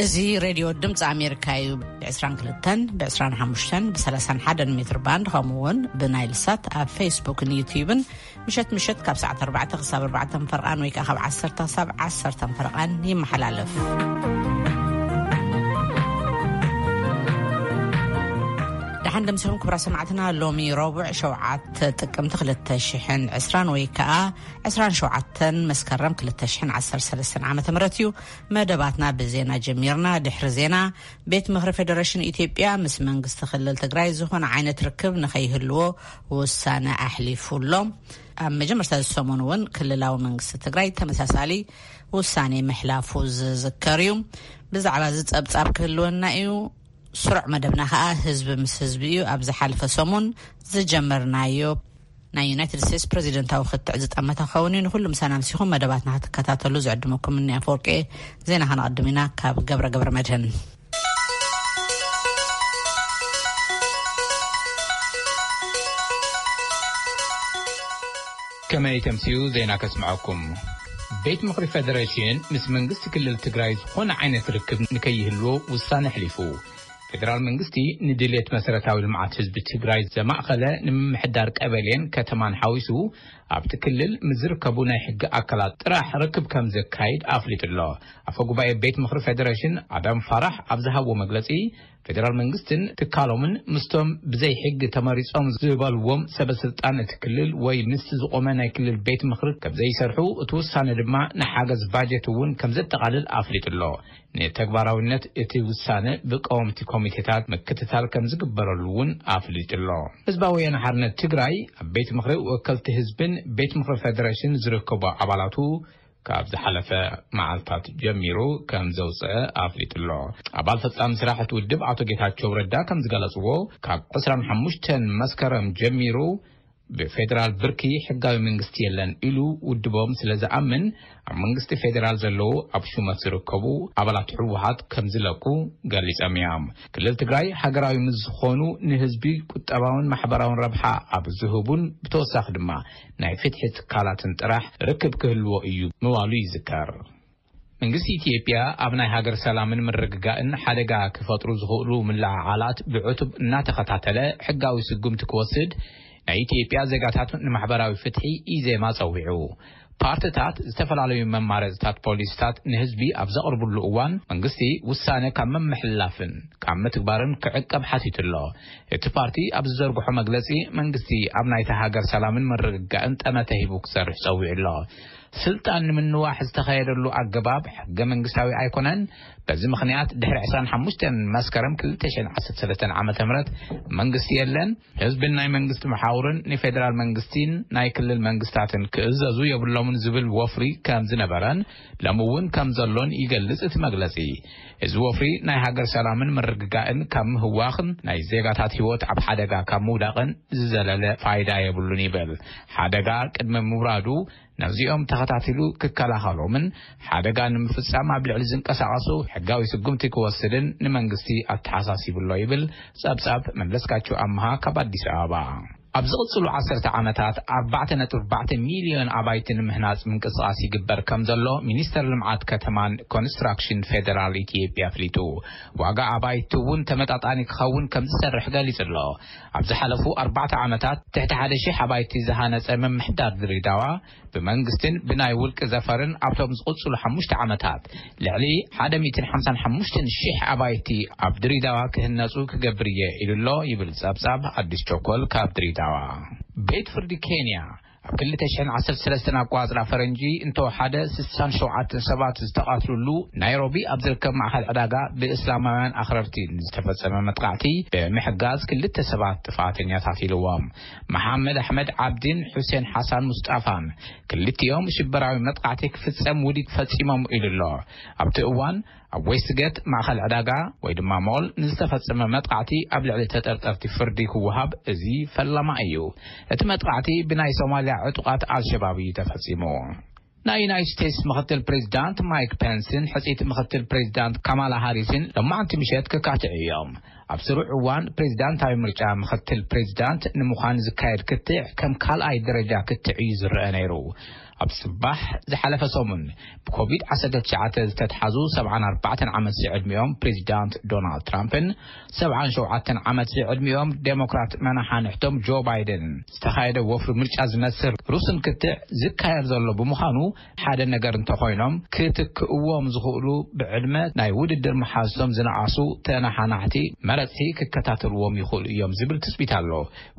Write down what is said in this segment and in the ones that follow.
እዚ ሬድዮ ድምፂ ኣሜሪካ እዩ። ብ22፣ ብ25፣ ብ31 ሜትር ባንድ፣ ከምኡ እውን ብናይል ሳት ኣብ ፌስቡክን ዩትዩብን ምሸት ምሸት ካብ ሰዓት 4 ክሳብ 4 ፈርቓን ወይ ከዓ ካብ 10 ክሳብ 10 ፈርቓን ይመሓላለፍ። ደሓን ደምሲኹም ክብራ ሰማዕትና። ሎሚ ረቡዕ 7 ጥቅምቲ 2020 ወይ ከዓ 27 መስከረም 2013 ዓመተ ምህረት እዩ። መደባትና ብዜና ጀሚርና። ድሕሪ ዜና፣ ቤት ምኽሪ ፌደሬሽን ኢትዮጵያ ምስ መንግስቲ ክልል ትግራይ ዝኾነ ዓይነት ርክብ ንኸይህልዎ ውሳነ ኣሕሊፉ ኣሎ። ኣብ መጀመርታ እዚ ሰሙን እውን ክልላዊ መንግስቲ ትግራይ ተመሳሳሊ ውሳኔ ምሕላፉ ዝዝከር እዩ። ብዛዕባ እዚ ጸብጻብ ክህልወና እዩ። ስሩዕ መደብና ኸኣ ህዝቢ ምስ ህዝቢ እዩ። ኣብ ዝሓለፈ ሰሙን ዝጀመርናዮ ናይ ዩናይትድ ስቴትስ ፕሬዚደንታዊ ክትዕ ዝጠመተ ክኸውን እዩ። ንኹሉ ምሳና ምሲኹም መደባትና ክትከታተሉ ዝዕድመኩም እኒ ኣፈወርቂ። ዜና ከነቐድም ኢና ካብ ገብረ ገብረ መድህን። ከመይ ተምስዩ ዜና ከስምዐኩም። ቤት ምኽሪ ፌደሬሽን ምስ መንግስቲ ክልል ትግራይ ዝኾነ ዓይነት ርክብ ንከይህልዎ ውሳነ ኣሕሊፉ። ፌደራል መንግስቲ ንድሌት መሰረታዊ ልምዓት ህዝቢ ትግራይ ዘማእኸለ ንምምሕዳር ቀበሌን ከተማን ሓዊሱ ኣብቲ ክልል ምስ ዝርከቡ ናይ ሕጊ ኣካላት ጥራሕ ርክብ ከም ዘካይድ ኣፍሊጡ ኣሎ። ኣፈ ጉባኤ ቤት ምኽሪ ፌደሬሽን ኣዳም ፋራሕ ኣብ ዝሃብዎ መግለጺ፣ ፌደራል መንግስትን ትካሎምን ምስቶም ብዘይ ሕጊ ተመሪጾም ዝበልዎም ሰበ ስልጣን እቲ ክልል ወይ ምስቲ ዝቆመ ናይ ክልል ቤት ምኽሪ ከም ዘይሰርሑ፣ እቲ ውሳነ ድማ ንሓገዝ ባጀት እውን ከም ዘጠቓልል ኣፍሊጡ ኣሎ። ንተግባራዊነት እቲ ውሳነ ብቀወምቲ ኮሚቴታት ምክትታል ከም ዝግበረሉ እውን ኣፍሊጡ ኣሎ። ህዝባዊ ወያነ ሓርነት ትግራይ ኣብ ቤት ምኽሪ ወከልቲ ህዝብን ቤት ምኽሪ ፌደሬሽን ዝርከቡ ኣባላቱ ካብ ዝሓለፈ መዓልታት ጀሚሩ ከም ዘውፅአ ኣፍሊጡ ኣሎ። ኣባል ፈጻሚ ስራሕ እቲ ውድብ ኣቶ ጌታቸው ረዳ ከም ዝገለፅዎ፣ ካብ 25 መስከረም ጀሚሩ ብፌደራል ብርኪ ሕጋዊ መንግስቲ የለን ኢሉ ውድቦም ስለ ዝኣምን፣ ኣብ መንግስቲ ፌደራል ዘለዉ ኣብ ሹመት ዝርከቡ ኣባላት ህወሓት ከም ዝለቁ ገሊጾም እዮም። ክልል ትግራይ ሃገራዊ ምስ ዝኾኑ ንህዝቢ ቁጠባውን ማሕበራውን ረብሓ ኣብ ዝህቡን ብተወሳኺ ድማ ናይ ፍትሒ ትካላትን ጥራሕ ርክብ ክህልዎ እዩ ምባሉ ይዝከር። መንግስቲ ኢትዮጵያ ኣብ ናይ ሃገር ሰላምን ምርግጋእን ሓደጋ ክፈጥሩ ዝኽእሉ ምልዕዓላት ብዕቱብ እናተኸታተለ ሕጋዊ ስጉምቲ ክወስድ ናይ ኢትዮጵያ ዜጋታት ንማሕበራዊ ፍትሒ፣ ኢዜማ፣ ጸዊዑ። ፓርትታት ዝተፈላለዩ መማረፅታት ፖሊሲታት ንህዝቢ ኣብ ዘቕርብሉ እዋን መንግስቲ ውሳነ ካብ መምሕላፍን ካብ ምትግባርን ክዕቀብ ሓቲቱ ኣሎ። እቲ ፓርቲ ኣብ ዝዘርግሖ መግለፂ መንግስቲ ኣብ ናይታ ሃገር ሰላምን ምርግጋእን ጠመተ ሂቡ ክሰርሕ ጸዊዑ ኣሎ። ስልጣን ንምንዋሕ ዝተኸየደሉ ኣገባብ ሕገ መንግስታዊ ኣይኮነን። በዚ ምኽንያት ድሕሪ 25 መስከረም 2013 ዓ.ም መንግስቲ የለን። ህዝብን ናይ መንግስቲ መሓውርን ንፌደራል መንግስቲን ናይ ክልል መንግስታትን ክእዘዙ የብሎምን ዝብል ወፍሪ ከም ዝነበረን ሎሚ እውን ከም ዘሎን ይገልጽ እቲ መግለጺ። እዚ ወፍሪ ናይ ሃገር ሰላምን ምርግጋእን ካብ ምህዋኽን ናይ ዜጋታት ህይወት ኣብ ሓደጋ ካብ ምውዳቕን ዝዘለለ ፋይዳ የብሉን ይብል። ሓደጋ ቅድሚ ምውራዱ ነዚኦም ተኸታቲሉ ክከላኸሎምን ሓደጋ ንምፍጻም ኣብ ልዕሊ ዝንቀሳቐሱ ሕጋዊ ስጉምቲ ክወስድን ንመንግስቲ ኣተሓሳሲቡ ኣሎ ይብል ጸብጻብ መለስካቸው ኣምሃ ካብ ኣዲስ ኣበባ። ኣብ ዝቕጽሉ ዓሰርተ ዓመታት 4.4 ሚልዮን ኣባይቲ ንምህናጽ ምንቅስቓስ ይግበር ከም ዘሎ ሚኒስተር ልምዓት ከተማን ኮንስትራክሽን ፌደራል ኢትዮጵያ ኣፍሊጡ። ዋጋ ኣባይቲ እውን ተመጣጣኒ ክኸውን ከም ዝሰርሕ ገሊጹ ኣሎ። ኣብ ዝሓለፉ ኣርባዕተ ዓመታት ትሕቲ ሓደ ሺሕ ኣባይቲ ዝሃነጸ ምምሕዳር ድሬዳዋ ብመንግስትን ብናይ ውልቂ ዘፈርን ኣብቶም ዝቕጽሉ ሓሙሽተ ዓመታት ልዕሊ 155,000 ኣባይቲ ኣብ ድሬዳዋ ክህነጹ ክገብር እየ ኢሉ ኣሎ ይብል ጸብጻብ ኣዲስ ቸኮል ካብ ድሬዳዋ። ቤት ፍርዲ ኬንያ ኣብ 2013 ኣቋጽራ ፈረንጂ እንተወሓደ 67 ሰባት ዝተቐትሉሉ ናይሮቢ ኣብ ዝርከብ ማእኸል ዕዳጋ ብእስላማውያን ኣኽረርቲ ዝተፈጸመ መጥቃዕቲ ብምሕጋዝ ክልተ ሰባት ጥፋተኛታት ኢልዎም። መሓመድ ኣሕመድ ዓብዲን ሑሴን ሓሳን ሙስጣፋን ክልቲኦም ሽበራዊ መጥቃዕቲ ክፍጸም ውዲት ፈጺሞም ኢሉ ኣሎ። ኣብቲ እዋን ኣብ ዌስትጌት ማእኸል ዕዳጋ ወይ ድማ ሞል ንዝተፈጸመ መጥቃዕቲ ኣብ ልዕሊ ተጠርጠርቲ ፍርዲ ክወሃብ እዚ ፈለማ እዩ። እቲ መጥቃዕቲ ብናይ ሶማልያ ዕጡቓት ኣልሸባብ እዩ ተፈጺሙ። ናይ ዩናይትድ ስቴትስ ምኽትል ፕሬዚዳንት ማይክ ፔንስን ሕጽይቲ ምኽትል ፕሬዚዳንት ካማላ ሃሪስን ሎማዕንቲ ምሸት ክካትዑ እዮም። ኣብ ስሩዕ እዋን ፕሬዚዳንታዊ ምርጫ ምኽትል ፕሬዚዳንት ንምዃን ዝካየድ ክትዕ ከም ካልኣይ ደረጃ ክትዕ እዩ ዝረአ ነይሩ። ኣብ ጽባሕ ዝሓለፈ ሰሙን ብኮቪድ ዓሰርተ ትሽዓተ ዝተትሓዙ ሰብዓን ኣርባዕተን ዓመት ዝዕድሚኦም ፕሬዚዳንት ዶናልድ ትራምፕን ሰብዓን ሸውዓተን ዓመት ዝዕድሚኦም ዴሞክራት መናሓንሕቶም ጆ ባይደን ዝተኻየደ ወፍሪ ምርጫ ዝመስል ሩስን ክትዕ ዝካየድ ዘሎ ብምዃኑ፣ ሓደ ነገር እንተኾይኖም ክትክእዎም ዝኽእሉ ብዕድመ ናይ ውድድር መሓዝቶም ዝነኣሱ ተነሓናሕቲ መረፅቲ ክከታተልዎም ይኽእሉ እዮም ዝብል ትፅቢት ኣሎ።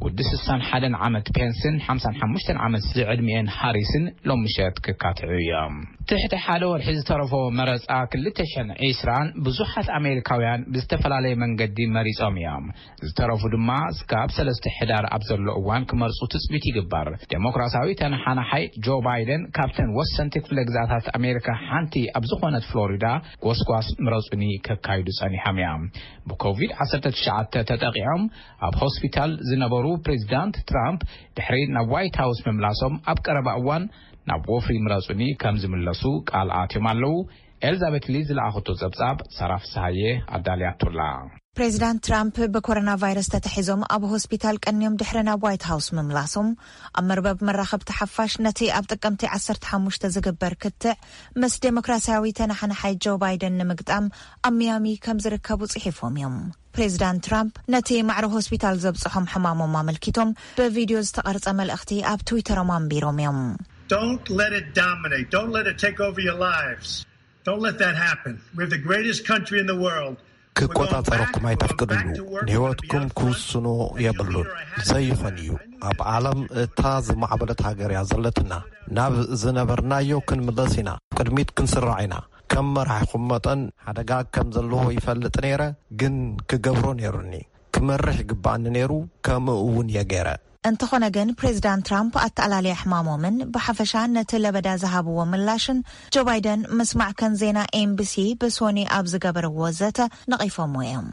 ውዲ ስሳን ሓደን ዓመት ፔንስን ሓምሳን ሓሙሽተን ዓመት ዝዕድሚኤን ሃሪስን ሎም ምሸት ክካትዑ እዮም። ትሕቲ ሓደ ወርሒ ዝተረፎ መረፃ ክልተ ሽሕን ዕስራን ብዙሓት ኣሜሪካውያን ብዝተፈላለየ መንገዲ መሪፆም እዮም። ዝተረፉ ድማ እስካብ ሰለስተ ሕዳር ኣብ ዘሎ እዋን ክመርፁ ትፅቢት ይግበር። ዴሞክራሲያዊ ተነሓናሓይ ጆ ባይደን ካብተን ወሰንቲ ክፍለ ግዛታት ኣሜሪካ ሓንቲ ኣብ ዝኾነት ፍሎሪዳ ጎስጓስ ምረፁኒ ከካይዱ ጸኒሖም እዮም። ብኮቪድ ዓሰርተ ትሽዓተ ተጠቂዖም ኣብ ሆስፒታል ዝነበሩ ፕሬዚዳንት ትራምፕ ድሕሪ ናብ ዋይት ሃውስ ምምላሶም ኣብ ቀረባ እዋን ናብ ወፍሪ ምረፁኒ ከም ዝምለሱ ቃል ኣትዮም ኣለዉ። ኤልዛቤት ሊ ዝለኣኸቶ ጸብጻብ ሰራ ፍስሃየ ኣዳልያቶላ። ፕሬዚዳንት ትራምፕ ብኮሮና ቫይረስ ተታሒዞም ኣብ ሆስፒታል ቀንዮም ድሕሪ ናብ ዋይት ሃውስ ምምላሶም፣ ኣብ መርበብ መራኸብቲ ሓፋሽ ነቲ ኣብ ጥቅምቲ ዓሰርተ ሓሙሽተ ዝግበር ክትዕ ምስ ዴሞክራሲያዊ ተነሓናሓይ ጆ ባይደን ንምግጣም ኣብ ሚያሚ ከም ዝርከቡ ጽሒፎም እዮም። ፕሬዚዳንት ትራምፕ ነቲ ማዕረ ሆስፒታል ዘብጽሖም ሕማሞም ኣመልኪቶም ብቪድዮ ዝተቐርጸ መልእኽቲ ኣብ ትዊተሮም ኣንቢሮም እዮም። Don't let it dominate. Don't let it take over your lives. Don't let that happen. We're the greatest country in the world. We're going back, ክቆጻጸረኩም we're going ኣይተፍቅድሉ። back to work, we're gonna be ንህይወትኩም up front. ክውስኖ የብሉን። ዘይኾን እዩ። ኣብ ዓለም እታ ዝማዕበለት ሃገር እያ ዘለትና። ናብ ዝነበርናዮ ክንምለስ ኢና። ቅድሚት ክንስራዕ ኢና። ከም መራሒኹም መጠን ሓደጋ ከም ዘለዎ ይፈልጥ ነይረ፣ ግን ክገብሮ ነይሩኒ። ክመርሕ ይግባኣኒ ነይሩ፣ ከምኡ እውን እየ ገይረ። እንተኾነ ግን ፕሬዚዳንት ትራምፕ ኣተኣላልያ ሕማሞምን ብሓፈሻ ነቲ ለበዳ ዝሃብዎ ምላሽን ጆ ባይደን ምስ ማዕከን ዜና ኤምቢሲ ብሶኒ ኣብ ዝገበርዎ ዘተ ነቒፎምዎ እዮም።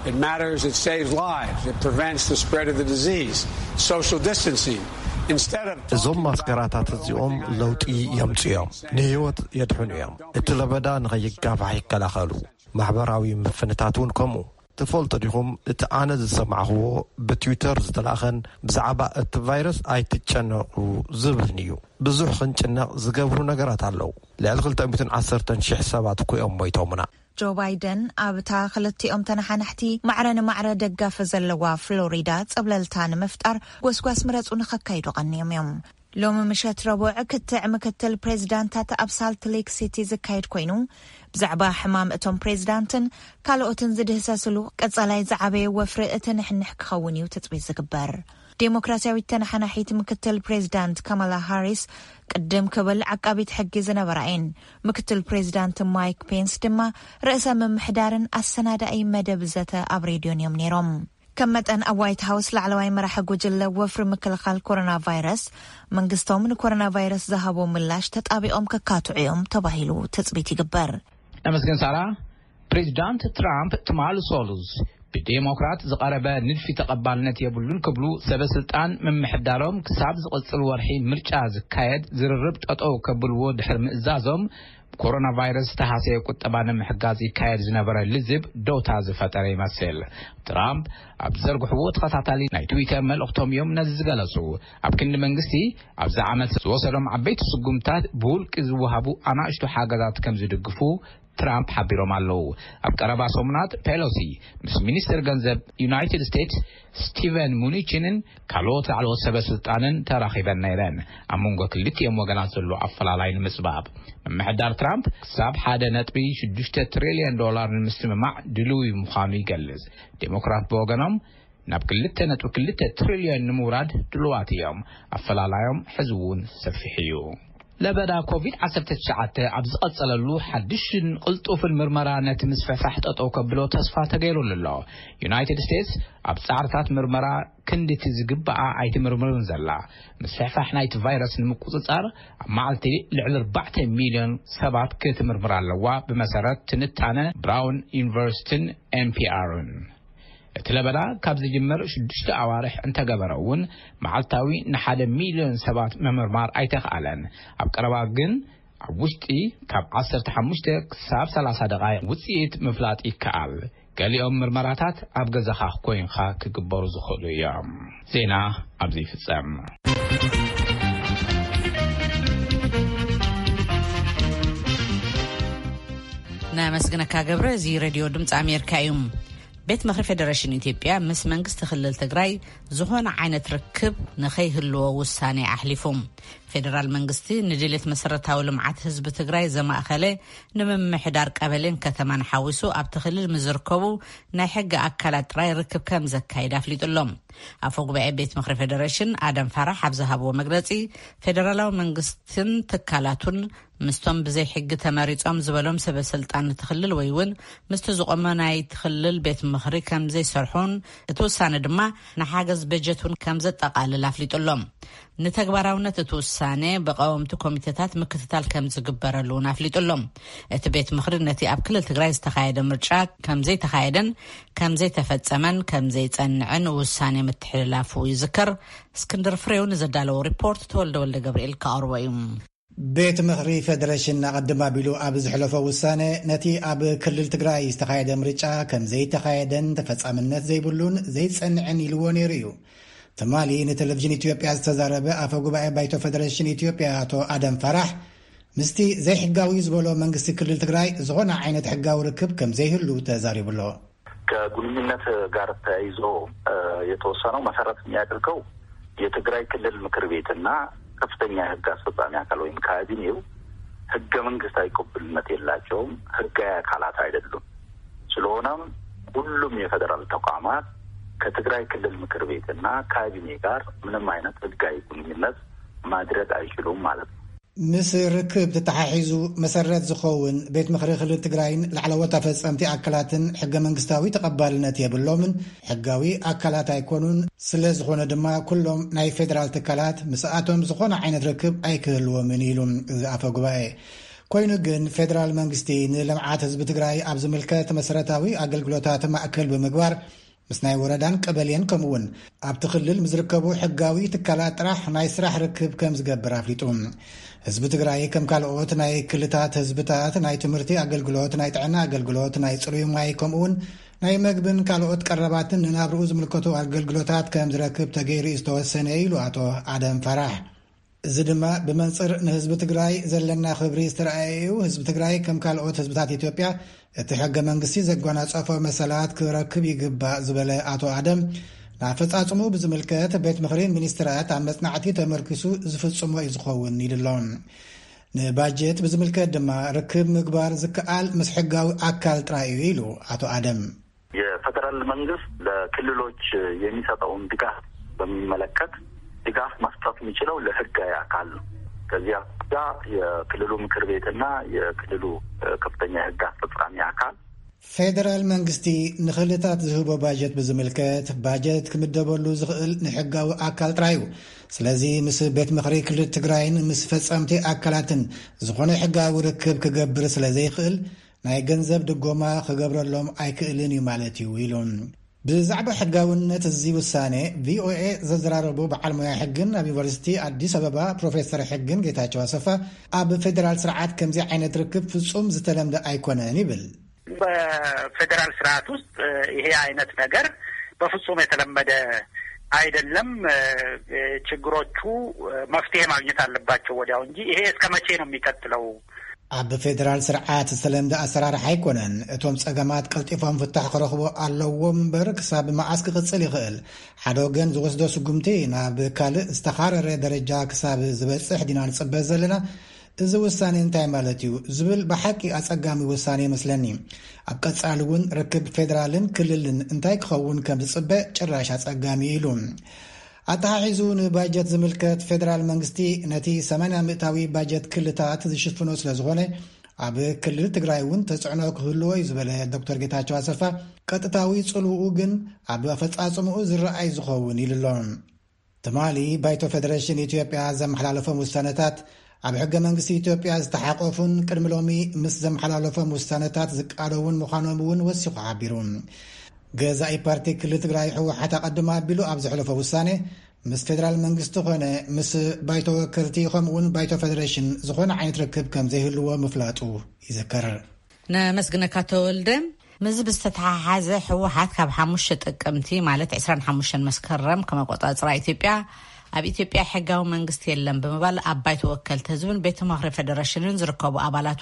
It matters. It saves lives. It prevents the spread of the disease. Social distancing. Instead of እዞም ማስከራታት እዚኦም ለውጢ የምፅኡ እዮም። ንህይወት የድሕኑ እዮም። እቲ ለበዳ ንኸይጋፋሕ ይከላኸሉ። ማሕበራዊ ምፍንታት እውን ከምኡ። ትፈልጡ ዲኹም፣ እቲ ኣነ ዝሰማዕኽዎ ብትዊተር ዝተላእኸን ብዛዕባ እቲ ቫይረስ ኣይትጨነቑ ዝብልን እዩ። ብዙሕ ክንጭነቕ ዝገብሩ ነገራት ኣለዉ። ልዕሊ ክልተ ሚእትን ዓሰርተን ሽሕ ሰባት እኮ እዮም ሞይቶምና። ጆ ባይደን ኣብታ ክልቲኦም ተነሓናሕቲ ማዕረ ንማዕረ ደጋፊ ዘለዋ ፍሎሪዳ ጸብለልታ ንምፍጣር ጎስጓስ ምረጹ ንኸካይዱ ቀንዮም እዮም። ሎሚ ምሸት ረቡዕ ክትዕ ምክትል ፕሬዚዳንታት ኣብ ሳልት ሌክ ሲቲ ዝካየድ ኮይኑ፣ ብዛዕባ ሕማም እቶም ፕሬዚዳንትን ካልኦትን ዝድህሰስሉ ቀጻላይ ዝዓበየ ወፍሪ እቲ ንሕንሕ ክኸውን እዩ ትጽቢት ዝግበር። ዴሞክራሲያዊት ተነሓናሒት ምክትል ፕሬዚዳንት ካማላ ሃሪስ ቅድም ክብል ዓቃቢት ሕጊ ዝነበራ እየን። ምክትል ፕሬዚዳንት ማይክ ፔንስ ድማ ርእሰ ምምሕዳርን ኣሰናዳኢ መደብ ዘተ ኣብ ሬድዮን እዮም ነይሮም። ከም መጠን ኣብ ዋይት ሃውስ ላዕለዋይ መራሒ ጉጅለ ወፍሪ ምክልኻል ኮሮና ቫይረስ፣ መንግስቶም ንኮሮና ቫይረስ ዝሃቦ ምላሽ ተጣቢቖም ከካትዑ እዮም ተባሂሉ ትጽቢት ይግበር። ነመስገን ሳራ። ፕሬዚዳንት ትራምፕ ትማሊ ሶሉስ ብዴሞክራት ዝቐረበ ንድፊ ተቐባልነት የብሉን ክብሉ ሰበ ስልጣን ምምሕዳሮም ክሳብ ዝቕጽል ወርሒ ምርጫ ዝካየድ ዝርርብ ጠጠው ከብልዎ ድሕሪ ምእዛዞም፣ ኮሮና ቫይረስ ዝተሃሰየ ቁጠባ ንምሕጋዝ ይካየድ ዝነበረ ልዝብ ዶታ ዝፈጠረ ይመስል። ትራምፕ ኣብ ዘርግሕዎ ተኸታታሊ ናይ ትዊተር መልእኽቶም እዮም ነዚ ዝገለጹ። ኣብ ክንዲ መንግስቲ ኣብዚ ዓመት ዝወሰዶም ዓበይቲ ስጉምታት ብውልቂ ዝወሃቡ ኣናእሽቱ ሓገዛት ከም ዝድግፉ ትራምፕ ሓቢሮም ኣለዉ። ኣብ ቀረባ ሰሙናት ፔሎሲ ምስ ሚኒስትር ገንዘብ ዩናይትድ ስቴትስ ስቲቨን ሙኒቺንን ካልኦት ላዕለዎት ሰበ ስልጣንን ተራኺበን ነይረን። ኣብ መንጎ ክልቲኦም ወገናት ዘሎ ኣፈላላይ ንምጽባብ፣ ምምሕዳር ትራምፕ ክሳብ ሓደ ነጥቢ ሽዱሽተ ትሪልዮን ዶላር ንምስምማዕ ድልዊ ምዃኑ ይገልጽ። ዴሞክራት ብወገኖም ናብ ክልተ ነጥቢ ክልተ ትሪልዮን ንምውራድ ድሉዋት እዮም። ኣፈላላዮም ሕዚ እውን ሰፊሕ እዩ። ለበዳ ኮቪድ ዓሰርተ ትሽዓተ ኣብ ዝቐጸለሉ ሓድሽን ቅልጡፍን ምርመራ ነቲ ምስፍሕፋሕ ጠጠው ከብሎ ተስፋ ተገይሩሉ ኣሎ። ዩናይትድ ስቴትስ ኣብ ጻዕርታት ምርመራ ክንድቲ ዝግባኣ ኣይትምርምርን ዘላ። ምስፍሕፋሕ ናይቲ ቫይረስ ንምቁጽጻር ኣብ መዓልቲ ልዕሊ ኣርባዕተ ሚልዮን ሰባት ክትምርምር ኣለዋ፣ ብመሰረት ትንታነ ብራውን ዩኒቨርሲቲን ኤንፒኣርን። እቲ ለበዳ ካብ ዝጅምር ሽዱሽተ ኣዋርሕ እንተገበረ እውን፣ መዓልታዊ ንሓደ ሚልዮን ሰባት ምምርማር ኣይተኽኣለን። ኣብ ቀረባ ግን ኣብ ውሽጢ ካብ ዓሰርተ ሓሙሽተ ክሳብ ሰላሳ ደቓይቕ ውጽኢት ምፍላጥ ይከኣል። ገሊኦም ምርመራታት ኣብ ገዛኻ ኮይንኻ ክግበሩ ዝኽእሉ እዮም። ዜና ኣብዚ ይፍጸም። ነመስግነካ ገብረ። እዚ ሬድዮ ድምፂ ኣሜሪካ እዩ። ቤት ምኽሪ ፌደሬሽን ኢትዮጵያ ምስ መንግስቲ ክልል ትግራይ ዝኾነ ዓይነት ርክብ ንኸይህልዎ ውሳኔ ኣሕሊፉ። ፌደራል መንግስቲ ንድሌት መሰረታዊ ልምዓት ህዝቢ ትግራይ ዘማእኸለ ንምምሕዳር ቀበሌን ከተማን ሓዊሱ ኣብቲ ክልል ምስ ዝርከቡ ናይ ሕጊ ኣካላት ጥራይ ርክብ ከም ዘካይድ ኣፍሊጡ ኣሎ። ኣፈ ጉባኤ ቤት ምኽሪ ፌደሬሽን ኣደም ፋራሕ ኣብ ዝሃብዎ መግለጺ፣ ፌደራላዊ መንግስትን ትካላቱን ምስቶም ብዘይ ሕጊ ተመሪጾም ዝበሎም ሰበ ስልጣን እቲ ክልል ወይ እውን ምስቲ ዝቆመ ናይ ክልል ቤት ምኽሪ ከም ዘይሰርሑን እቲ ውሳነ ድማ ንሓገዝ በጀት እውን ከም ዘጠቓልል ኣፍሊጡ ኣሎ። ንተግባራውነት እቲ ውሳነ ብቀወምቲ ኮሚቴታት ምክትታል ከም ዝግበረሉ እውን ኣፍሊጡ ኣሎ። እቲ ቤት ምኽሪ ነቲ ኣብ ክልል ትግራይ ዝተኻየደ ምርጫ ከም ዘይተኻየደን ከም ዘይተፈጸመን ከም ዘይጸንዕን ውሳኔ ምትሕልላፉ ይዝከር። እስክንድር ፍሬው ንዘዳለዎ ሪፖርት ተወልደ ወልደ ገብርኤል ከቕርቦ እዩ። ቤት ምኽሪ ፌደሬሽን ኣቐድም ኣቢሉ ኣብ ዝሕለፎ ውሳነ፣ ነቲ ኣብ ክልል ትግራይ ዝተኻየደ ምርጫ ከም ዘይተኻየደን ተፈጻምነት ዘይብሉን ዘይጸንዕን ኢልዎ ነይሩ እዩ። ትማሊ ንቴሌቪዥን ኢትዮጵያ ዝተዛረበ ኣፈ ጉባኤ ባይቶ ፌደሬሽን ኢትዮጵያ ኣቶ ኣደም ፋራሕ፣ ምስቲ ዘይሕጋዊ ዝበሎ መንግስቲ ክልል ትግራይ ዝኾነ ዓይነት ሕጋዊ ርክብ ከም ዘይህሉ ተዛሪቡ ኣሎ። ከግንኙነት ጋር ተያይዞ፣ እ፣ የተወሰነው መሰረት የሚያደርገው የትግራይ ክልል ምክር ቤትና ከፍተኛ የህግ አስፈጻሚ አካል ወይም ካቢኔው ህገ መንግስታዊ ቅቡልነት የላቸውም፣ ህጋዊ አካላት አይደሉም። ስለሆነም ሁሉም የፌዴራል ተቋማት ከትግራይ ክልል ምክር ቤትና ካቢኔ ጋር ምንም አይነት ህጋዊ ግንኙነት ማድረግ አይችሉም ማለት ነው። ምስ ርክብ ተተሓሒዙ መሰረት ዝኸውን፣ ቤት ምኽሪ ክልል ትግራይን ላዕለዎት ኣፈጸምቲ ኣካላትን ሕገ መንግስታዊ ተቐባልነት የብሎምን፣ ሕጋዊ ኣካላት ኣይኮኑን። ስለ ዝኾነ ድማ ኩሎም ናይ ፌደራል ትካላት ምስኣቶም ዝኾነ ዓይነት ርክብ ኣይክህልዎምን ኢሉ እዚ ኣፈ ጉባኤ። ኮይኑ ግን ፌደራል መንግስቲ ንልምዓት ህዝቢ ትግራይ ኣብ ዝምልከት መሰረታዊ ኣገልግሎታት ማእከል ብምግባር ምስ ናይ ወረዳን ቀበሌን ከምኡውን ኣብቲ ክልል ምስ ዝርከቡ ሕጋዊ ትካላት ጥራሕ ናይ ስራሕ ርክብ ከም ዝገብር ኣፍሊጡ። ህዝቢ ትግራይ ከም ካልኦት ናይ ክልታት ህዝብታት ናይ ትምህርቲ ኣገልግሎት፣ ናይ ጥዕና ኣገልግሎት፣ ናይ ጽሩይ ማይ ከምኡውን ናይ መግብን ካልኦት ቀረባትን ንናብርኡ ዝምልከቱ ኣገልግሎታት ከም ዝረክብ ተገይሩ እዩ ዝተወሰነ ኢሉ ኣቶ ኣደም ፈራሕ። እዚ ድማ ብመንጽር ንህዝቢ ትግራይ ዘለና ክብሪ ዝተረኣየ እዩ። ህዝቢ ትግራይ ከም ካልኦት ህዝብታት ኢትዮጵያ እቲ ሕገ መንግስቲ ዘጓናጸፎ መሰላት ክረክብ ይግባእ ዝበለ ኣቶ ኣደም፣ ንኣፈጻጽሙ ብዝምልከት ቤት ምኽሪ ሚኒስትራት ኣብ መጽናዕቲ ተመርኪሱ ዝፍጽሞ እዩ ዝኸውን ኢሉ ኣሎ። ንባጀት ብዝምልከት ድማ ርክብ ምግባር ዝከኣል ምስ ሕጋዊ ኣካል ጥራይ እዩ ኢሉ ኣቶ ኣደም። የፌደራል መንግስት ለክልሎች የሚሰጠውን ድጋፍ በሚመለከት ድጋፍ መስጠት የሚችለው ለህጋዊ አካል ነው። ከዚህ አኳያ የክልሉ ምክር ቤትና የክልሉ፣ እ፣ ከፍተኛ የህግ አስፈጻሚ አካል። ፌደራል መንግስቲ ንክልታት ዝህቦ ባጀት ብዝምልከት ባጀት ክምደበሉ ዝኽእል ንሕጋዊ ኣካል ጥራይ እዩ። ስለዚ ምስ ቤት ምኽሪ ክልል ትግራይን ምስ ፈጸምቲ ኣካላትን ዝኾነ ሕጋዊ ርክብ ክገብር ስለ ዘይኽእል ናይ ገንዘብ ድጎማ ክገብረሎም ኣይክእልን እዩ ማለት እዩ ኢሉ። ብዛዕባ ሕጋውነት እዚ ውሳኔ ቪኦኤ ዘዘራረቡ በዓል ሞያ ሕግን ኣብ ዩኒቨርሲቲ ኣዲስ ኣበባ ፕሮፌሰር ሕግን ጌታቸው ኣሰፋ፣ ኣብ ፌደራል ስርዓት ከምዚ ዓይነት ርክብ ፍጹም ዝተለምደ ኣይኮነን ይብል። በፌደራል ስርዓት ውስጥ ይሄ አይነት ነገር በፍጹም የተለመደ አይደለም። ችግሮቹ መፍትሄ ማግኘት አለባቸው ወዲያው እንጂ ይሄ እስከ መቼ ነው የሚቀጥለው? ኣብ ፌደራል ስርዓት ዝተለምደ ኣሰራርሓ ኣይኮነን። እቶም ጸገማት ቀልጢፎም ፍታሕ ክረኽቡ ኣለዎም እምበር ክሳብ መዓስ ክቕጽል ይኽእል? ሓደ ወገን ዝወስዶ ስጉምቲ ናብ ካልእ ዝተኻረረ ደረጃ ክሳብ ዝበጽሕ ዲና ንጽበ ዘለና? እዚ ውሳኔ እንታይ ማለት እዩ ዝብል ብሓቂ ኣጸጋሚ ውሳኔ ይመስለኒ። ኣብ ቀጻሊ እውን ርክብ ፌደራልን ክልልን እንታይ ክኸውን ከም ዝጽበ ጭራሽ ኣጸጋሚ እዩ ኢሉ። ኣተሓሒዙ ንባጀት ዝምልከት ፌደራል መንግስቲ ነቲ ሰማንያ ሚእታዊ ባጀት ክልታት ዝሽፍኖ ስለ ዝኾነ ኣብ ክልል ትግራይ እውን ተጽዕኖ ክህልዎ እዩ ዝበለ ዶክተር ጌታቸው ኣሰፋ፣ ቀጥታዊ ጽልውኡ ግን ኣብ ኣፈጻጽምኡ ዝረኣይ ዝኸውን ኢሉ ኣሎ። ትማሊ ባይቶ ፌደሬሽን ኢትዮጵያ ዘመሓላለፎም ውሳነታት ኣብ ሕገ መንግስቲ ኢትዮጵያ ዝተሓቆፉን ቅድሚ ሎሚ ምስ ዘመሓላለፎም ውሳነታት ዝቃደውን ምዃኖም እውን ወሲኹ ሓቢሩ። ገዛኢ ፓርቲ ክልል ትግራይ ህወሓት ኣቐድም ኣቢሉ ኣብ ዘሕለፎ ውሳኔ ምስ ፌደራል መንግስቲ ኾነ ምስ ባይቶ ወከልቲ ከምኡውን ባይቶ ፌደሬሽን ዝኾነ ዓይነት ርክብ ከም ዘይህልዎ ምፍላጡ ይዝከር። ነመስግነካ ተወልደ። ምስዚ ብዝተተሓሓዘ ህወሓት ካብ ሓሙሽተ ጥቅምቲ ማለት ዕስራን ሓሙሽተን መስከረም ከም ኣቆጻጽራ ኢትዮጵያ ኣብ ኢትዮጵያ ሕጋዊ መንግስቲ የለን ብምባል ኣብ ባይቶ ወከልቲ ህዝብን ቤት ምኽሪ ፌደሬሽንን ዝርከቡ ኣባላቱ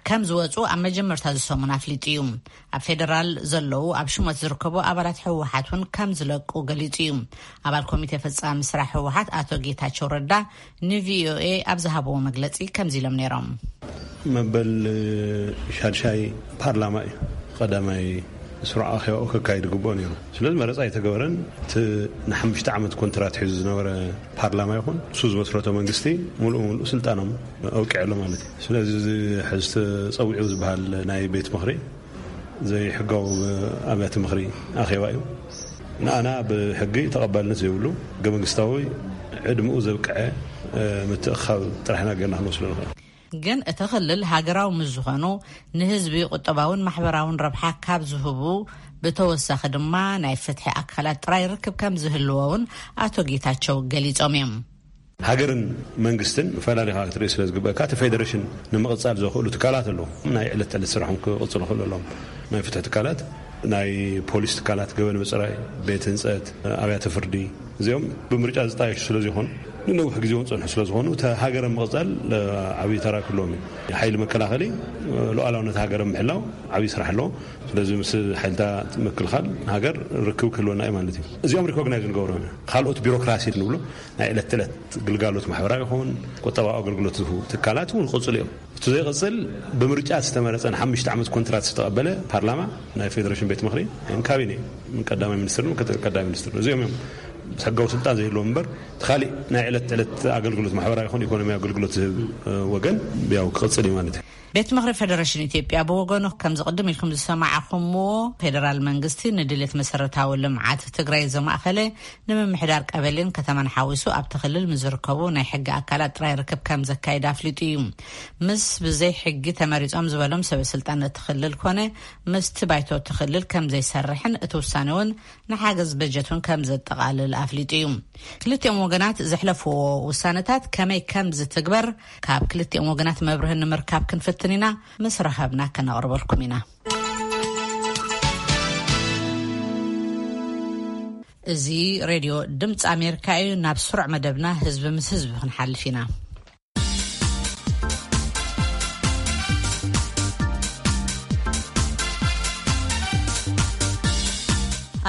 ከም ዝወፁ ኣብ መጀመርታ ዝሰሙን ኣፍሊጡ እዩ። ኣብ ፌደራል ዘለዉ ኣብ ሽሞት ዝርከቡ ኣባላት ህወሓት እውን ከም ዝለቁ ገሊጹ እዩ። ኣባል ኮሚቴ ፈጻሚ ስራሕ ህወሓት ኣቶ ጌታቸው ረዳ ንቪኦኤ ኣብ ዝሃብዎ መግለጺ ከምዚ ኢሎም ነይሮም። መበል ሻድሻይ ፓርላማ እዩ ቀዳማይ ስሩዕ ኣኼባኡ ከካይድ ግብኦ ነይሩ። ስለዚ መረፃ ኣይተገበረን። እቲ ንሓሙሽተ ዓመት ኮንትራት ሒዙ ዝነበረ ፓርላማ ይኹን እሱ ዝመስረቶ መንግስቲ ሙሉእ ሙሉእ ስልጣኖም ኣውቂዐሎ ማለት እዩ። ስለዚ እዚ ሕዚ ተፀዊዑ ዝበሃል ናይ ቤት ምኽሪ ዘይሕጋዊ ኣብያተ ምኽሪ ኣኼባ እዩ። ንኣና ብሕጊ ተቐባልነት ዘይብሉ፣ ሕገ መንግስታዊ ዕድምኡ ዘብቅዐ ምትእኻብ ጥራሕ ኢና ጌርና ክንወስዶ ንኽእል። ግን እቲ ክልል ሃገራዊ ምስ ዝኾኑ ንህዝቢ ቁጠባውን ማሕበራውን ረብሓ ካብ ዝህቡ ብተወሳኺ ድማ ናይ ፍትሒ ኣካላት ጥራይ ርክብ ከም ዝህልዎ እውን ኣቶ ጌታቸው ገሊጾም እዮም። ሃገርን መንግስትን ፈላሊኻ ክትርኢ ስለ ዝግበእካ፣ እቲ ፌደሬሽን ንምቕጻል ዘኽእሉ ትካላት ኣለዉ። ናይ ዕለት ተዕለት ስራሖም ክቕጽሉ ክኽእሉ ኣለዎም። ናይ ፍትሒ ትካላት፣ ናይ ፖሊስ ትካላት፣ ገበን ምጽራይ፣ ቤት ህንጸት፣ ኣብያተ ፍርዲ፣ እዚኦም ብምርጫ ዝጣየሹ ስለ ዝኾኑ፣ ንነዊሕ ግዜ እውን ጸንሑ ስለ ዝኾኑ፣ እቲ ሃገር ምቕጻል ዓብዪ ተራ ክህልዎም እዩ። ሓይሊ መከላኸሊ ሉዓላውነት ሃገር ምሕላው ዓብዪ ስራሕ ኣለዎ። ስለዚ ምስ ሓይልታት ምክልኻል ሃገር ርክብ ክህልወና እዩ ማለት እዩ። እዚኦም ሪኮግናይዝ ንገብሮም ኢና። ካልኦት ቢሮክራሲ ንብሎ ናይ ዕለት ተዕለት ግልጋሎት ማሕበራዊ ይኹን ቁጠባዊ ኣገልግሎት ዝህቡ ትካላት እውን ክቕፅሉ እዮም። እቲ ዘይቕፅል ብምርጫ ዝተመረፀን ሓሙሽተ ዓመት ኮንትራት ዝተቐበለ ፓርላማ ናይ ፌደሬሽን ቤት ምኽሪ ወይም ካቢኔ ቀዳማይ ሚኒስትርን ምክትል ቀዳማይ ሚኒስትርን እዚኦም እዮም ሕጋዊ ስልጣን ዘይህልዎም እምበር እቲ ካሊእ ናይ ዕለት ተዕለት ኣገልግሎት ማሕበራዊ ይኹን ኢኮኖሚያዊ ኣገልግሎት ዝህብ ወገን ያው ክቕፅል እዩ ማለት እዩ። ቤት ምኽሪ ፌደሬሽን ኢትዮጵያ ብወገኑ ከምዚ ቅድም ኢልኩም ዝሰማዕኹምዎ ፌደራል መንግስቲ ንድሌት መሰረታዊ ልምዓት ትግራይ ዘማእኸለ ንምምሕዳር ቀበሌን ከተማን ሓዊሱ ኣብቲ ክልል ምስ ዝርከቡ ናይ ሕጊ ኣካላት ጥራይ ርክብ ከም ዘካይድ ኣፍሊጡ እዩ። ምስ ብዘይ ሕጊ ተመሪጾም ዝበሎም ሰበ ስልጣን እቲ ክልል ኮነ ምስቲ ባይቶ እቲ ክልል ከም ዘይሰርሕን እቲ ውሳነ እውን ንሓገዝ በጀት እውን ከም ዘጠቓልል ኣፍሊጡ እዩ። ክልቲኦም ወገናት ዘሕለፍዎ ውሳነታት ከመይ ከም ዝትግበር ካብ ክልቲኦም ወገናት መብርህ ንምርካብ ክንፍትን ኢና። ምስ ረኸብና ከነቕርበልኩም ኢና። እዚ ሬድዮ ድምፂ ኣሜሪካ እዩ። ናብ ስሩዕ መደብና ህዝቢ ምስ ህዝቢ ክንሓልፍ ኢና።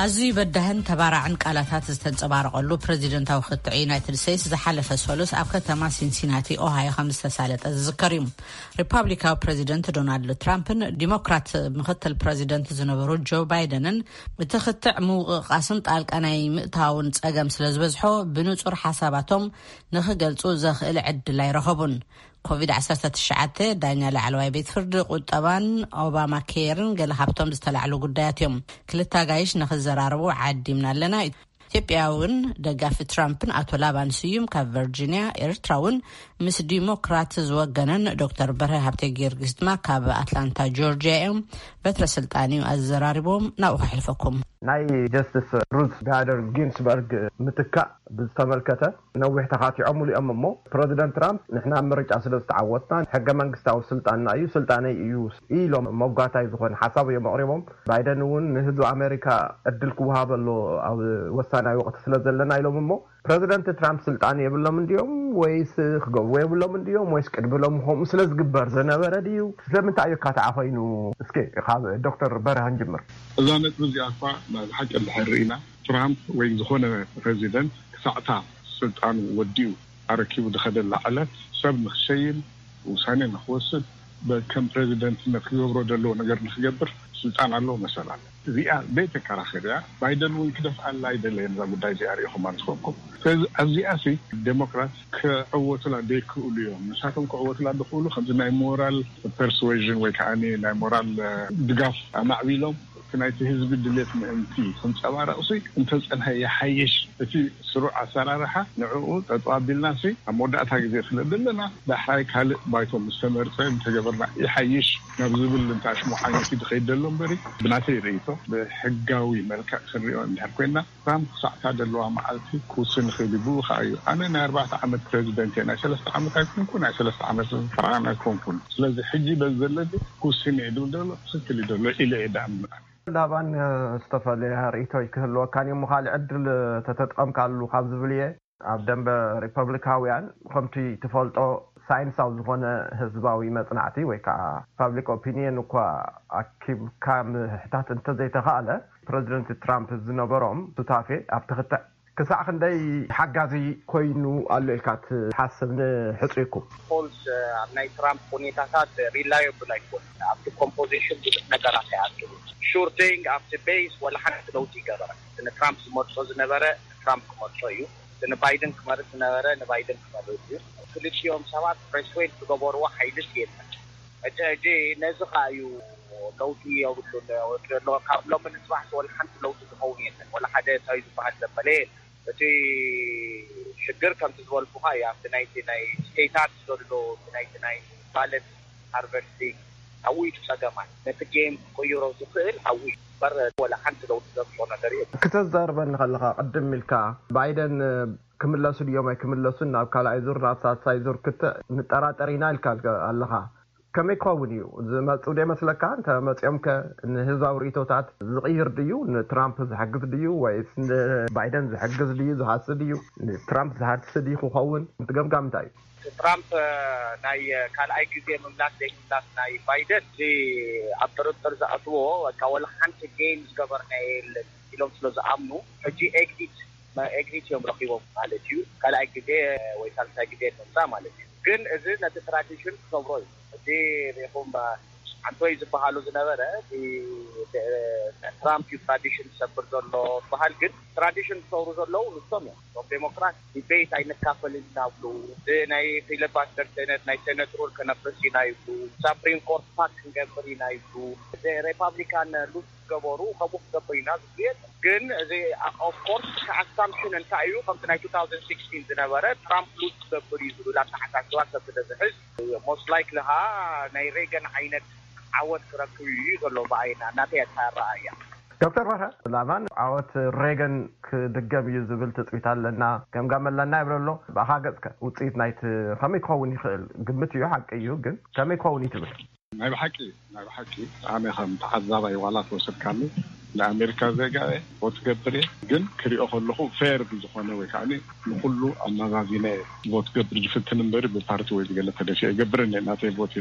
ኣዝዩ በዳህን ተባራዕን ቃላታት ዝተንጸባረቐሉ ፕረዚደንታዊ ክትዕ ዩናይትድ ስቴትስ ዝሓለፈ ሰሉስ ኣብ ከተማ ሲንሲናቲ ኦሃዮ ከም ዝተሳለጠ ዝዝከር እዩ። ሪፓብሊካዊ ፕረዚደንት ዶናልድ ትራምፕን ዲሞክራት ምኽትል ፕረዚደንት ዝነበሩ ጆ ባይደንን እቲ ክትዕ ምውቕቓስን ጣልቃ ናይ ምእታውን ጸገም ስለ ዝበዝሖ ብንጹር ሓሳባቶም ንኽገልጹ ዘኽእል ዕድል ኣይረኸቡን። ኮቪድ ዓሰርተ ትሽዓተ፣ ዳኛ ላዕለዋይ ቤት ፍርዲ፣ ቁጠባን ኦባማ ኬርን ገለ ካብቶም ዝተላዕሉ ጉዳያት እዮም። ክልተ ኣጋይሽ ንኽዘራረቡ ዓዲምና ኣለና። ኢትዮጵያ እውን ደጋፊ ትራምፕን ኣቶ ላባን ስዩም ካብ ቨርጂኒያ፣ ኤርትራ እውን ምስ ዲሞክራት ዝወገነን ዶክተር በርሀ ሃብተ ጊዮርጊስ ድማ ካብ ኣትላንታ ጆርጂያ እዮም። በትረ ስልጣን እዩ ኣዘራሪቦም፣ ናብኡ ከሕልፈኩም። ናይ ጀስቲስ ሩዝ ባደር ጊንስበርግ ምትካእ ብዝተመልከተ ነዊሕ ተኻቲዖምሉ እዮም እሞ፣ ፕረዚደንት ትራምፕ ንሕና ኣብ ምርጫ ስለ ዝተዓወትና ሕገ መንግስታዊ ስልጣንና እዩ፣ ስልጣነይ እዩ ኢሎም መጓታይ ዝኾነ ሓሳብ እዮም ኣቕሪቦም። ባይደን እውን ንህዝቢ ኣሜሪካ ዕድል ክወሃበ ኣሎ ኣብ ወሳናይ ወቕቲ ስለ ዘለና ኢሎም እሞ፣ ፕረዚደንት ትራምፕ ስልጣን የብሎም እንድዮም ወይስ ክገብርዎ የብሎም እንድዮም ወይስ ቅድሚ ሎም ከምኡ ስለ ዝግበር ዝነበረ ድዩ? ስለምንታይ እዩ ኣካትዓ ኮይኑ? እስኪ ካብ ዶክተር በርሀ ንጅምር። እዛ ነጥቢ እዚኣ እኳ ናይ ብሓቂ እንድሕር ርኢና፣ ትራምፕ ወይ ዝኾነ ፕረዚደንት ክሳዕታ ስልጣኑ ወዲኡ ኣረኪቡ ዝኸደላ ዕለት ሰብ ንክሸይን ውሳኔ ንክወስድ በ-፣ ከም ፕረዚደንትነት ክገብሮ ዘለዎ ነገር ንክገብር ስልጣን ኣለዎ፣ መሰል ኣለዎ። እዚኣ ዘይተከራኸር እያ። ባይደን እውን ክደፍኣላ ኣይደለየን እዛ ጉዳይ እዚኣ፣ ርኢኹማ ንስኹም። ስለዚ ኣብዚኣ ሲ ዴሞክራት ክዕወቱላ ዘይክእሉ እዮም። ንሳቶም ክዕወቱላ ዝኽእሉ ከምዚ ናይ ሞራል ፐርስዌዥን ወይ ከዓ ናይ ሞራል፣ እ፣ ድጋፍ ኣማዕቢሎም እቲ ናይቲ ህዝቢ ድሌት ምእንቲ ክንጸባረቕ ሲ እንተጸንሐ ይሓይሽ። እቲ ስሩዕ ኣሰራርሓ ንዕኡ ጠጠው ኣቢልና ሲ ኣብ መወዳእታ ግዜ ስለ ዘለና ዳሕራይ ካልእ ባይቶ ምስ ተመርጸ እንተገበርና ይሓይሽ ናብ ዝብል እንተ ኣሽሙሓኛት እዩ ዝኸይድ ዘሎ እምበሪ፣ ብናተይ ርእይቶ ብሕጋዊ መልክዕ ክንሪኦ እንድሕር ኮይንና ትራምፕ ክሳዕታ ዘለዋ መዓልቲ ክውስን ይኽእል እዩ። ብኡ ኸዓ እዩ ኣነ ናይ ኣርባዕተ ዓመት ፕረዚደንት እየ፣ ናይ ሰለስተ ዓመት ኣይኮንኩ፣ ናይ ሰለስተ ዓመት ፈርዓን ኣይኮንኩን። ስለዚ ሕጂ በዚ ዘለኒ ክውስን እየ ዝብል ዘሎ ትኽክል እዩ ዘሎ ኢለ እየ ዝኣምን። ላባን ዝተፈለየ ርእይቶ ክህልወካን እዩ እሞ ካልእ ዕድል ተተጥቀምካሉ ካብ ዝብል እየ። ኣብ ደንበ ሪፐብሊካውያን፣ ከምቲ ትፈልጦ፣ ሳይንሳዊ ዝኾነ ህዝባዊ መጽናዕቲ ወይ ከዓ ፓብሊክ ኦፒኒየን እኳ ኣኪብካ ምሕታት እንተዘይተኻእለ፣ ፕረዚደንት ትራምፕ ዝነበሮም ሱታፌ ኣብቲ ክትዕ ክሳዕ ክንደይ ሓጋዚ ኮይኑ ኣሎ ኢልካ ትሓስብ ንሕጹይኩም? ፖልስ ኣብ ናይ ትራምፕ ሁኔታታት ሪላየብል ኣይኮን። ኣብቲ ኮምፖዚሽን ብዙሕ ነገራት ኣይኣክሉ። ሹር ቲንግ ኣብቲ ቤስ ወላ ሓንቲ ለውጢ ይገበረ። ንትራምፕ ዝመርጾ ዝነበረ ትራምፕ ክመርጾ እዩ። ንባይደን ክመርጽ ዝነበረ ንባይደን ክመርጽ እዩ። ክልቲኦም ሰባት ፕሬስዌድ ዝገበርዎ ሓይልስ የለን። ሕጂ ሕጂ ነዚ ኸዓ እዩ ለውጢ የብሉን ዘሎ። ካብ ሎሚ ንፅባሕ ወላ ሓንቲ ለውጢ ዝኸውን የለን። ወላ ሓደ እንታይ ዝበሃል ዘበለ የለን። እቲ ሽግር ከምቲ ዝበልኩኻ እዩ። ኣብቲ ናይቲ ናይ ስቴታት ዘሎ እቲ ናይቲ ናይ ባለት ሃርቨስቲንግ ኣብኡ እዩ እቲ ፀገማት። ነቲ ጌም ክቅይሮ ዝኽእል ኣብኡ እዩ እምበር ወላ ሓንቲ ለውጢ ዘምፅኦ ነገር የለን። ክተዛርበኒ ከለኻ ቅድም ኢልካ ባይደን ክምለሱ ድዮም ኣይክምለሱን ናብ ካልኣይ ዙር ናብ ሳልሳይ ዙር ክትዕ ንጠራጠር ኢና ኢልካ ኣለኻ። ከመይ ክኸውን እዩ ዝመፁ ዶ ይመስለካ? እንተ መፂኦም ከ ንህዝባዊ ርእቶታት ዝቕይር ድዩ? ንትራምፕ ዝሕግዝ ድዩ ወይስ ንባይደን ዝሕግዝ ድዩ? ዝሃሲ ድዩ? ንትራምፕ ዝሃሲ ድዩ ክኸውን? እቲ ገምጋም እንታይ እዩ? ትራምፕ ናይ ካልኣይ ግዜ ምምላስ ዘይምምላስ ናይ ባይደን እዚ ኣብ ጥርጥር ዝኣትዎ በቃ ወላ ሓንቲ ጌም ዝገበርና የለን ኢሎም ስለ ዝኣምኑ ሕጂ ኤግዚት ኤግዚት እዮም ረኪቦም ማለት እዩ። ካልኣይ ግዜ ወይ ሳልሳይ ግዜ ንምፃእ ማለት እዩ። ግን እዚ ነቲ ትራዲሽን ክሰብሮ እዩ። እዚ ሪኢኹም ሓንቶይ ዝበሃሉ ዝነበረ እቲ ትራምፕ እዩ ትራዲሽን ዝሰብር ዘሎ ዝበሃል፣ ግን ትራዲሽን ዝሰብሩ ዘለዉ ንሶም እዮም። እቶም ዴሞክራት ዲቤት ኣይንካፈልን ኢና ይብሉ። እዚ ናይ ፊለባስተር ሴነት ናይ ሴነት ሩል ከነፍርስ ኢና ይብሉ። ሳፕሪም ኮርት ፓክ ክንገብር ኢና ይብሉ። እዚ ሪፓብሊካን ሉዝ ዝገበሩ ከምኡ ክገብር ኢና ዝብሉ የለን። ግን እዚ ኦፍኮርስ እቲ ኣሳምፕሽን እንታይ እዩ? ከምቲ ናይ two thousand sixteen ዝነበረ ትራምፕ ሉዝ ክገብር እዩ ዝብል ኣተሓሳስባ ሰብ ስለ ዝሕዝ ሞስት ላይክሊ ኸዓ ናይ ሬገን ዓይነት ዓወት ክረክብ እዩ ዘሎ ብኣይና ናተይ ኣተሃረኣያ። ዶክተር በርሀ ላባን ዓወት ሬገን ክድገም እዩ ዝብል ትፅቢት ኣለና፣ ገምጋም ኣለና ይብል ኣሎ። ብኣኻ ገፅከ ውፅኢት ናይቲ ከመይ ክኸውን ይኽእል? ግምት እዩ፣ ሓቂ እዩ፣ ግን ከመይ ክኸውን እዩ ትብል? ናይ ብሓቂ ናይ ብሓቂ ኣነ ከም ተዓዛባይ ዋላ ተወሰድካኒ ንኣሜሪካ ዜጋ እየ፣ ቮት ገብር እየ። ግን ክሪኦ ከለኹ ፌር ብዝኾነ ወይ ከዓ ንኩሉ ኣመዛዚነ ቮት ገብር ዝፍትን እምበሪ ብፓርቲ ወይ ብገለ ተደፊ ኣይገብርን እየ። ናተይ ቮት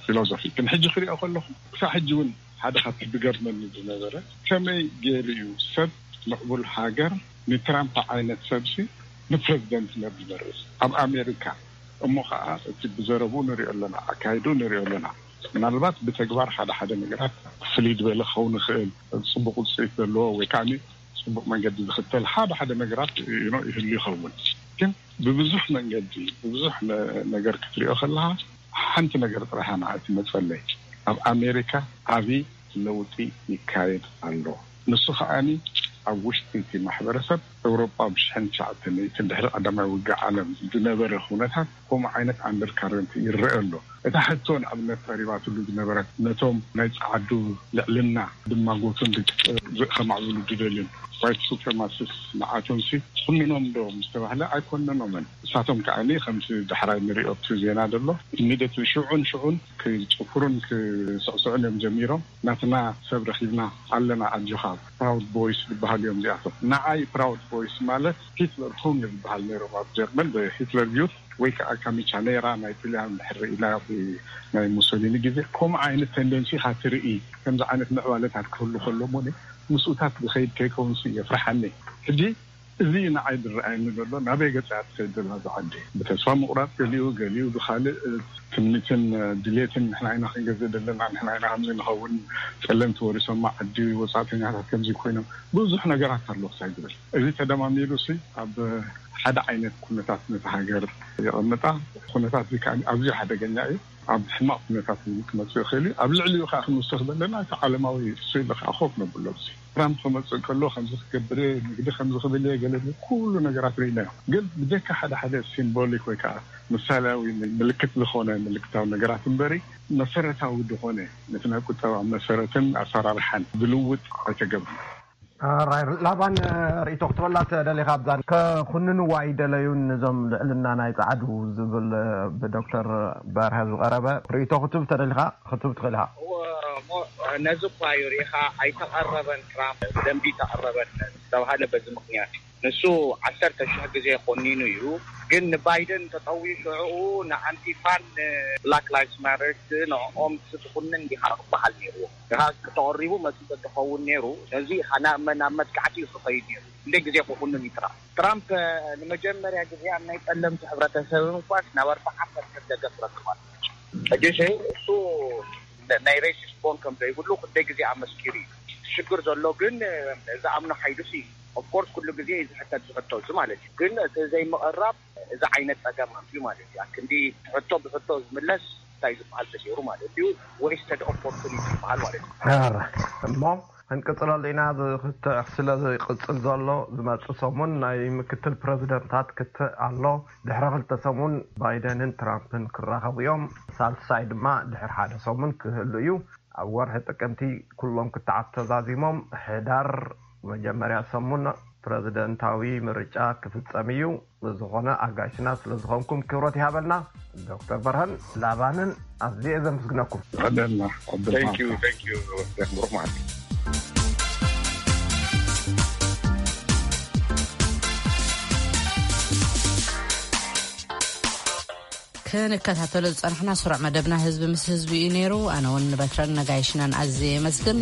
ፊሎዞፊ ግን ሕጂ ክሪኦ ከለኹ ክሳብ ሕጂ እውን ሓደ ካብቲ ዝገርመኒ ዝነበረ ከመይ ገይሩ እዩ ሰብ ምዕቡል ሃገር ንትራምፕ ዓይነት ሰብሲ ንፕረዚደንትነት ዝመርጽ ኣብ ኣሜሪካ? እሞ ከዓ እቲ ብዘረብኡ ንሪኦ ኣለና፣ ኣካይድኡ ንሪኦ ኣለና። ምናልባት ብተግባር ሓደ ሓደ ነገራት ፍልይ ዝበለ ክኸውን ይኽእል፣ ፅቡቅ ውፅኢት ዘለዎ ወይ ከዓ ፅቡቅ መንገዲ ዝኽተል ሓደ ሓደ ነገራት ይህሉ ይኸውን። ግን ብብዙሕ መንገዲ ብብዙሕ ነገር ክትሪኦ ከለካ ሓንቲ ነገር ጥራሕ እያ ንዓይ ትመፀለይ፣ ኣብ ኣሜሪካ ዓብዪ ለውጢ ይካየድ ኣሎ። ንሱ ከዓኒ ኣብ ውሽጢ እቲ ማሕበረሰብ ኤውሮጳ ብሽሕን ትሽዓተ ሚእትን ድሕሪ ቀዳማይ ውግእ ዓለም ዝነበረ ኩነታት ከምኡ ዓይነት ኣንደርካረንት ይረአ ኣሎ። እታ ሕቶ ንኣብነት ተሪባትሉ ዝነበረት ነቶም ናይ ጸዓዱ ልዕልና ድማጎቱን ከማዕብሉ ዝደልዩን ዋይት ሱፕረማሲስት ንዓቶም ሲ ኮንኖም ዶ ምስ ተባህለ ኣይኮነኖምን። ንሳቶም ከዓኒ ከምቲ ዳሕራይ ንሪኦ ኣብቲ ዜና ዘሎ ኢሚደትሊ ሽዑን ሽዑን ክጭፍሩን ክስዕስዑን እዮም ጀሚሮም። ናትና ሰብ ረኺብና ኣለና ኣጆኻ ፕራውድ ቦይስ ዝበሃሉ እዮም እዚኣቶም። ንዓይ ፕራውድ ቦይስ ማለት ሂትለር ሁንግ ዝበሃል ነይሮም ኣብ ጀርመን ብሂትለር ዩት ወይ ከዓ ካሚቻ ነይራ ናይ ጥልያን ድሕሪ ኢላ ናይ ሙሶሊኒ ግዜ ከምኡ ዓይነት ተንደንሲ ኢኻ ትርኢ። ከምዚ ዓይነት ምዕባለታት ክህሉ ከሎ እሞ ምስኡታት ዝኸይድ ከይከውንሲ የፍርሓኒ። ሕጂ እዚ ንዓይ ዝረኣየኒ ዘሎ ናበይ ገፃ እያ ትኸይድ ዘላ እዛ ዓዲ? ብተስፋ ምቑራፅ ገሊኡ፣ ገሊኡ ብኻልእ ትምኒትን ድሌትን ንሕና ኢና ክንገዝእ ዘለና፣ ንሕና ኢና ከምዚ ንኸውን፣ ፀለምቲ ወሪሶማ ዓዲ፣ ወፃእተኛታት ከምዚ ኮይኖም ብዙሕ ነገራት ኣሎ ክሳይ ዝብል እዚ ተደማሚሩ ሲ ኣብ ሓደ ዓይነት ኩነታት ነቲ ሃገር የቐምጣ። ኩነታት እዚ ከዓ ኣዝዩ ሓደገኛ እዩ። ኣብ ሕማቕ ኩነታት እውን ክመፅእ ይኽእል እዩ። ኣብ ልዕሊኡ ከዓ ክንውስኽ ዘለና እቲ ዓለማዊ ስእሊ ከዓ ኮፍ ነብሎ። እዚ ትራምፕ ክመፅእ ከሎ ከምዚ ክገብር እየ፣ ንግዲ ከምዚ ክብል እየ፣ ገለ ዝብል ኩሉ ነገራት ርኢናዮ። ግን ብጀካ ሓደ ሓደ ሲምቦሊክ ወይ ከዓ ምሳሌያዊ ምልክት ዝኾነ ምልክታዊ ነገራት እምበሪ መሰረታዊ ዝኾነ ነቲ ናይ ቁጠባ መሰረትን ኣሰራርሓን ዝልውጥ ኣይተገብርን። ራይ ላባን ርእይቶ ክትበላ ተደሊኻ ኣብዛ ከኹንንዋ ኣይደለዩን እዞም ልዕልና ናይ ጻዕዱ ዝብል ብዶክተር በርሀ ዝቐረበ ርእይቶ ክትብ ተደሊኻ ክትብ ትኽእል ኢኻ። ነዚ እኳ እዩ ሪኢኻ ኣይተቐረበን ትራምፕ ብደንቢ ተቐረበን ዝተባሃለ በዚ ምክንያት እዩ። ንሱ ዓሰርተ ሽሕ ግዜ ኮኒኑ እዩ። ግን ንባይደን ተጠውዩ ሽዑ ንኣንቲፋን ብላክ ላይፍስ ማተር ንዕኦም ክትኩንን ዲኻ ክበሃል ነይርዎ። ንኻ ክተቐሪቡ መጺ ተትኸውን ነይሩ፣ ነዚ ናብ መ-፣ ናብ መጥቃዕቲ እዩ ክኸይድ ነይሩ። ክንደይ ግዜ ክኹንን እዩ ትራምፕ። ትራምፕ ንመጀመርያ ግዜ ኣብ ናይ ጸለምቲ ሕብረተሰብ እንኳስ ናብ ኣርባዓ ፐርሰንት ደገፍ ረክባል። ሕጂ ሸይ እሱ ናይ ሬሲስት ቦን ከም ዘይብሉ ክንደይ ግዜ ኣመስኪሩ እዩ። ሽግር ዘሎ ግን ዝኣምኖ ሓይሉሲ ኦፍኮርስ ኩሉ ግዜ እዩ ዝሕተት ዝሕቶ እዚ ማለት እዩ። ግን እቲ ዘይምቕራብ እዚ ዓይነት ጸገም ኣምፅዩ ማለት እዩ። ኣክንዲ ሕቶ ብሕቶ ዝምለስ እንታይ ዝበሃል ተገይሩ ማለት እዩ። ዌስትድ ኦፖርቹኒቲ ዝበሃል ማለት እዩ። ሕራይ እሞ ክንቅፅለሉ ኢና። እዚ ክትዕ ስለ ዝቅፅል ዘሎ ዝመፅእ ሰሙን ናይ ምክትል ፕረዚደንታት ክትዕ ኣሎ። ድሕሪ ክልተ ሰሙን ባይደንን ትራምፕን ክራኸቡ እዮም። ሳልሳይ ድማ ድሕሪ ሓደ ሰሙን ክህሉ እዩ። ኣብ ወርሒ ጥቅምቲ ኩሎም ክትዓት ተዛዚሞም ሕዳር መጀመርያ ሰሙን ፕረዚደንታዊ ምርጫ ክፍጸም እዩ። ብዝኾነ ኣጋይሽና ስለ ዝኾንኩም ክብረት ይሃበልና። ዶክተር በርሀን ላባንን ኣዝየ ዘመስግነኩም። ይቐደልና። Thank you, thank you። ብሩኽ መዓልቲ። ክንከታተሎ ዝጸናሕና ስሩዕ መደብና ህዝቢ ምስ ህዝቢ እዩ ነይሩ። ኣነ እውን ንበትረን ነጋይሽናን ኣዝየ የመስግን።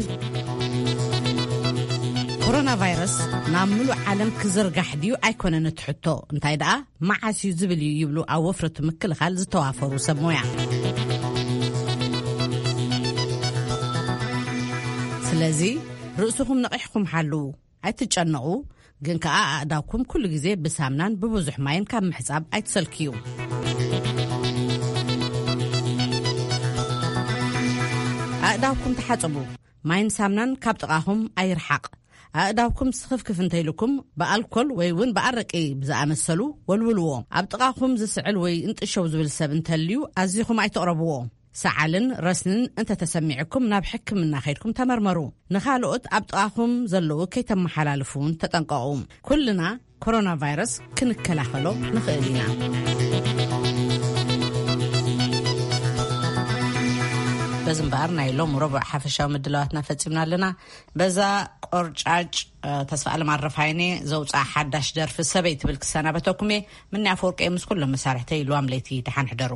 ኮሮና ቫይረስ ናብ ምሉእ ዓለም ክዝርጋሕ ድዩ ኣይኮነን እቲ ሕቶ፣ እንታይ ደኣ መዓስ እዩ ዝብል እዩ ይብሉ ኣብ ወፍረቱ ምክልኻል ዝተዋፈሩ ሰብ ሞያ። ስለዚ ርእስኹም ነቒሕኩም ሓልዉ። ኣይትጨነቑ፣ ግን ከኣ ኣእዳውኩም ኩሉ ግዜ ብሳምናን ብብዙሕ ማይን ካብ ምሕጻብ ኣይትሰልክዩ። ኣእዳውኩም ተሓጸቡ፣ ማይን ሳምናን ካብ ጥቓኹም ኣይርሓቕ። ኣእዳውኩም ስኽፍክፍ እንተኢልኩም ብኣልኮል ወይ እውን ብኣረቂ ብዝኣመሰሉ ወልውልዎ። ኣብ ጥቓኹም ዝስዕል ወይ እንጥሸው ዝብል ሰብ እንተልዩ ኣዚኹም ኣይትቕረብዎ። ሰዓልን ረስንን እንተተሰሚዕኩም ናብ ሕክምና ከይድኩም ተመርመሩ። ንኻልኦት ኣብ ጥቓኹም ዘለዉ ከይተመሓላልፉ እውን ተጠንቀቑ። ኩልና ኮሮና ቫይረስ ክንከላኸሎ ንኽእል ኢና። በዚ እምበኣር ናይ ሎም ረቡዕ ሓፈሻዊ ምድላዋትና ፈጺምና ኣለና። በዛ ቆርጫጭ፣ እ፣ ተስፋ ኣለም ኣረፋይኔ ዘውፅኣ ሓዳሽ ደርፊ ሰበይ ትብል ክሰናበተኩም እየ። ምንያ ኣፈወርቂ ምስ ኩሎም መሳርሕተይ ልዋም ለይቲ ደሓን ሕደሩ።